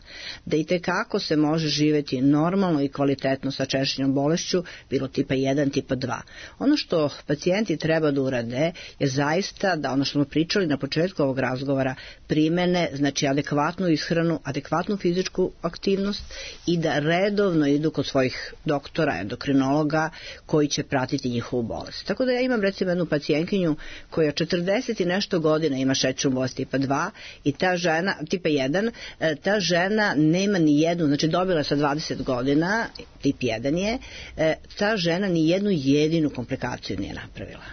da i tekako se može živeti normalno i kvalitetno sa šećernom bolešću, bilo tipa 1, tipa 2. Ono što pacijenti treba da urade je zaista da ono što smo pričali na početku ovog razgovora primene, znači adekvatnu ishranu, adekvatnu fizičku aktivnost i da redovno idu kod svojih doktora, endokrinologa koji će pratiti njihovu bolest. Tako da ja imam recimo jednu pacijentkinju koja 40 i nešto godina ima šećernu bolest tipa 2 i ta žena, tipa 1, ta žena nema ni jednu, znači dobila je sa 20 godina, tip 1 je, ta žena ni jednu jedinu komplikaciju nije napravila.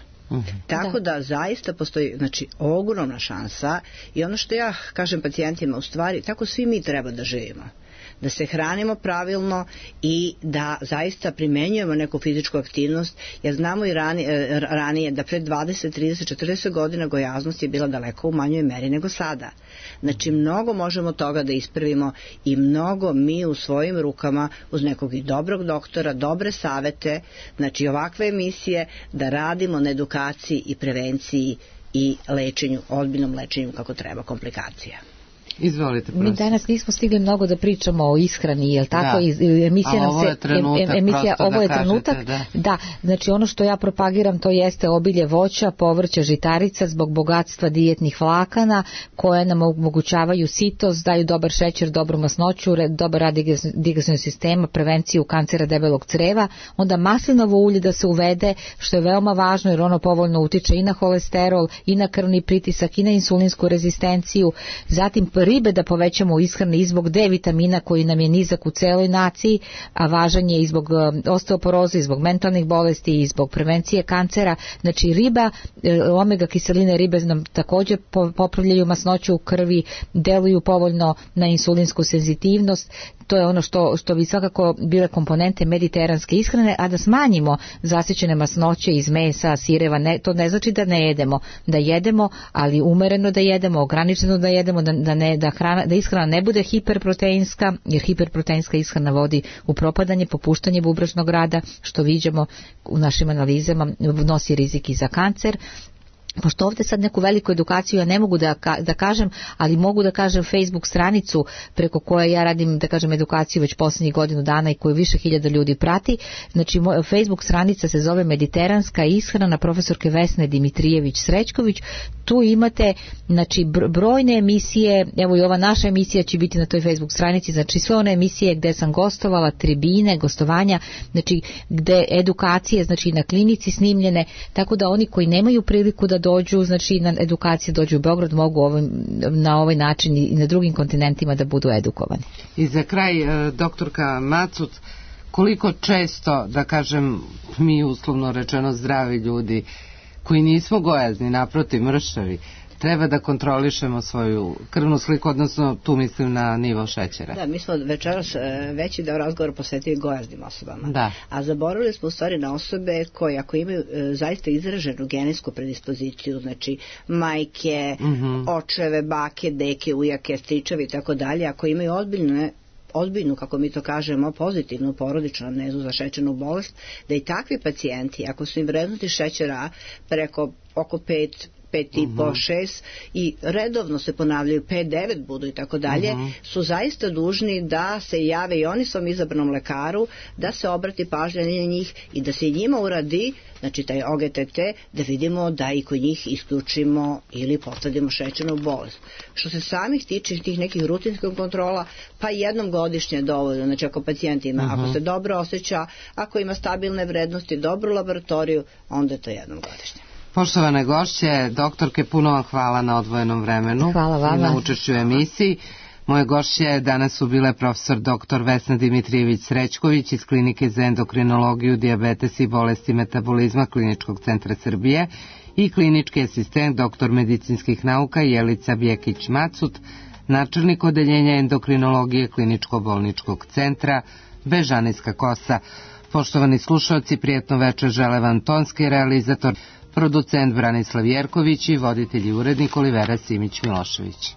Tako da zaista postoji znači ogromna šansa i ono što ja kažem pacijentima u stvari, tako svi mi treba da živimo, da se hranimo pravilno i da zaista primenjujemo neku fizičku aktivnost, jer znamo i ranije da pred 20, 30, 40 godina gojaznost je bila daleko u manjoj meri nego sada. Znači mnogo možemo toga da ispravimo i mnogo mi u svojim rukama uz nekog i dobrog doktora, dobre savete, znači ovakve emisije da radimo na edukaciji i prevenciji i lečenju, ozbiljnom lečenju kako treba komplikacija. Izvolite, mi danas nismo stigli mnogo da pričamo o ishrani, jel tako? Emisija nam se ovo je trenutak. Da, znači ono što ja propagiram to jeste obilje voća, povrća, žitarica zbog bogatstva dijetnih vlakana koje nam omogućavaju sitost, daju dobar šećer, dobru masnoću, dobar rad digestivnog sistema, prevenciju kancera debelog creva, onda maslinovo ulje da se uvede, što je veoma važno jer ono povoljno utiče i na holesterol, i na krvni pritisak, i na insulinsku rezistenciju, zatim ribe da povećamo u ishrani i zbog D vitamina koji nam je nizak u celoj naciji, a važan je i zbog osteoporoze, i zbog mentalnih bolesti, i zbog prevencije kancera. Znači riba, omega kiseline ribe nam također popravljaju masnoću u krvi, deluju povoljno na insulinsku senzitivnost. To je ono što bi svakako bile komponente mediteranske ishrane, a da smanjimo zasićene masnoće iz mesa, sireva, to ne znači da ne jedemo, da jedemo, ali umereno da jedemo, ograničeno da jedemo, da ishrana ne bude hiperproteinska, jer hiperproteinska ishrana vodi u propadanje, popuštanje bubrešnog rada, što viđamo u našim analizama, nosi rizik i za kancer. Pošto ovdje sad neku veliku edukaciju ja ne mogu da kažem, ali mogu da kažem Facebook stranicu preko koje ja radim, da kažem, edukaciju već posljednjih godinu dana i koju više hiljada ljudi prati. Znači Facebook stranica se zove Mediteranska ishrana profesorke Vesne Dimitrijević-Srećković. Tu imate znači brojne emisije, evo i ova naša emisija će biti na toj Facebook stranici, znači sve one emisije gde sam gostovala, tribine, gostovanja, znači gde edukacije, znači na klinici snimljene, tako da oni koji nemaju priliku da dođu, znači na edukacije dođu u Beograd, mogu na ovaj način i na drugim kontinentima da budu edukovani. I za kraj, doktorka Macut, koliko često, da kažem, mi uslovno rečeno zdravi ljudi, koji nismo gojazni, naprotiv mršavi, treba da kontrolišemo svoju krvnu sliku, odnosno tu mislim na nivo šećera. Da, mi smo večeras veći deo razgovora posvetili gojaznim osobama. Da. A zaboravili smo u stvari na osobe koje ako imaju zaista izraženu genetsku predispoziciju, znači majke, očeve, bake, deke, ujake, stričevi i tako dalje, ako imaju ozbiljne ozbiljnu, kako mi to kažemo, pozitivnu porodičnu amnezu za šećernu bolest, da i takvi pacijenti, ako su im vrednosti šećera preko oko 5,5, 6 i redovno se ponavljaju 5-9 budu i tako dalje, su zaista dužni da se jave i oni svom izabranom lekaru, da se obrati pažnja na njih i da se i njima uradi, znači taj OGTT, da vidimo da i kod njih isključimo ili posadimo šećernu bolest. Što se samih tiče tih nekih rutinskih kontrola, pa jednom godišnje dovoljno, znači ako pacijent ima, ako se dobro osjeća, ako ima stabilne vrednosti, dobru laboratoriju, onda je to jednom godišnje. Poštovane gošće, doktorke, puno vam hvala na odvojenom vremenu. Hvala vama. I na učešću u emisiji. Moje gošće danas su bile profesor dr. Vesna Dimitrijević-Srećković iz Klinike za endokrinologiju, dijabetes i bolesti metabolizma Kliničkog centra Srbije i klinički asistent dr. medicinskih nauka Jelica Bjekić-Macut, načelnik odeljenja endokrinologije Kliničko-bolničkog centra Bežanijska Kosa. Poštovani slušalci, prijatno večer žele vam tonski realizator, producent Branislav Jerković i voditelj i urednik Olivera Simić-Milošević.